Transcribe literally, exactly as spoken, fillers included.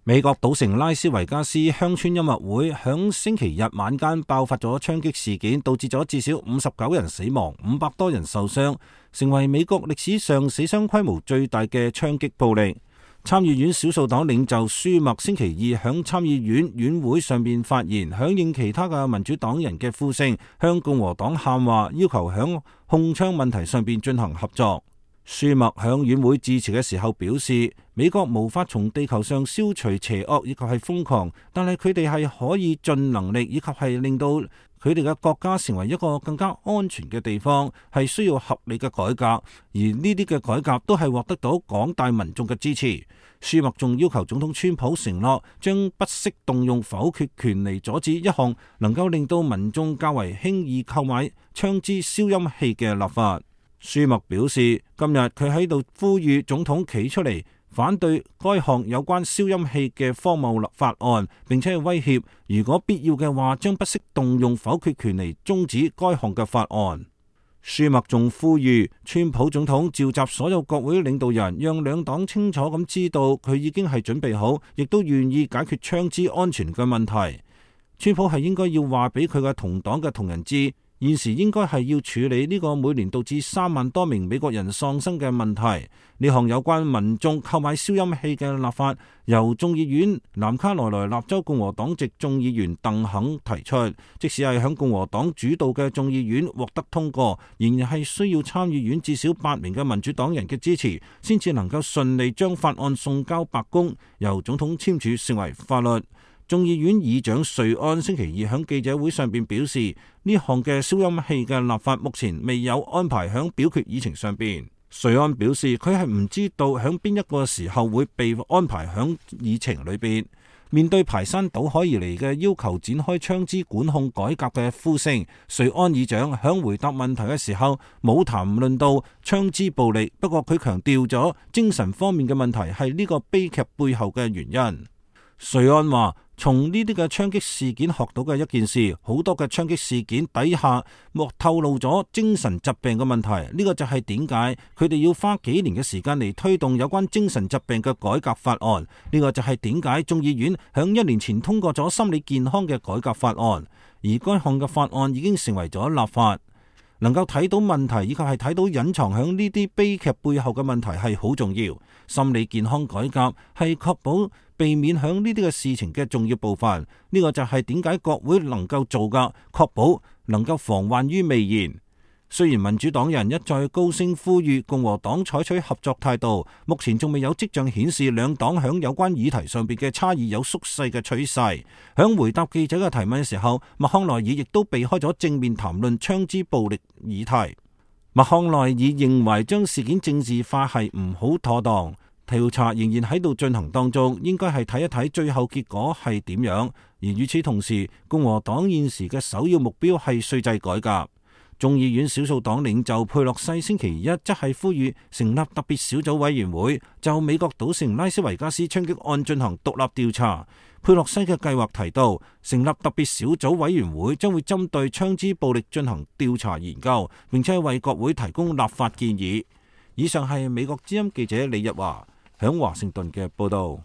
美國賭城拉斯維加斯鄉村音樂會響星期日晚間爆發咗槍擊事件，導致咗至少五十九人死亡，五百多人受傷，成為美國歷史上死傷規模最大嘅槍擊暴力。參議院少數黨領袖舒默星期二響參議院院會上面發言，響應其他嘅民主黨人嘅呼聲，向共和黨喊話，要求響控槍問題上邊進行合作。舒默響院會致辭嘅時候表示，美國無法從地球上消除邪惡以及係瘋狂，但係佢哋係可以盡能力以及係令到佢哋嘅國家成為一個更加安全嘅地方，係需要合理嘅改革，而呢啲嘅改革都係獲得到廣大民眾嘅支持。舒默仲要求總統川普承諾將不惜動用否決權嚟阻止一項能夠令到民眾較為輕易購買槍支消音器嘅立法。舒默表示，今日佢喺度呼籲總統企出嚟反對該項有關消音器嘅荒謬立法案，並且係威脅如果必要嘅話，將不惜動用否決權嚟終止該項嘅法案。舒默仲呼籲川普總統召集所有國會領導人，讓兩黨清楚咁知道佢已經係準備好，亦都願意解決槍支安全嘅問題。川普係應該要話俾佢嘅同黨嘅同仁知，現時應該係要處理呢個每年導致三萬多名美國人喪生嘅問題。呢項有關民眾購買消音器嘅立法，由眾議院南卡羅來納州共和黨籍眾議員鄧肯提出。即使係響共和黨主導嘅眾議院獲得通過，仍然係需要參議院至少八名嘅民主黨人嘅支持，先至能夠順利將法案送交白宮，由總統簽署成為法律。眾議院議長瑞安星期二喺記者會上邊表示，呢項嘅消音器嘅立法目前未有安排喺表決議程上邊。瑞安表示，佢係唔知道喺邊一個時候會被安排喺議程裏邊。面對排山倒海而嚟嘅要求展開槍支管控改革嘅呼聲，瑞安議長喺回答問題嘅時候冇談論到槍支暴力，不過佢強調咗精神方面嘅問題係呢個悲劇背後嘅原因。瑞安話，從呢啲嘅槍擊事件學到嘅一件事，好多嘅槍擊事件底下莫透露咗精神疾病嘅問題。呢個就係點解佢哋要花幾年嘅時間嚟推動有關精神疾病嘅改革法案。呢個就係點解眾議院響一年前通過咗心理健康嘅改革法案，而該項嘅法案已經成為咗立法。能夠睇到問題以及係睇到隱藏響呢啲悲劇背後嘅問題係好重要。心理健康改革係確保避免響呢啲嘅事情嘅重要部分。呢個就係點解國會能夠做噶，確保能夠防患於未然。雖然民主黨人一再高聲呼籲共和黨採取合作態度，目前仲未有跡象顯示兩黨響有關議題上邊嘅差異有縮細嘅趨勢。響回答記者嘅提問嘅時候，麥康奈爾亦都避開咗正面談論槍支暴力議題。麥康奈爾認為將事件政治化係唔好妥當，調查仍然喺度進行當中，應該係睇一睇最後結果係點樣。而與此同時，共和黨現時嘅首要目標係稅制改革。眾議院少數黨領袖佩洛西星期一則係呼籲成立特別小組委員會，就美國賭城拉斯維加斯槍擊案進行獨立調查。佩洛西嘅計劃提到，成立特別小組委員會將會針對槍支暴力進行調查研究，並且為國會提供立法建議。以上係美國之音記者李日華響華盛頓嘅報道。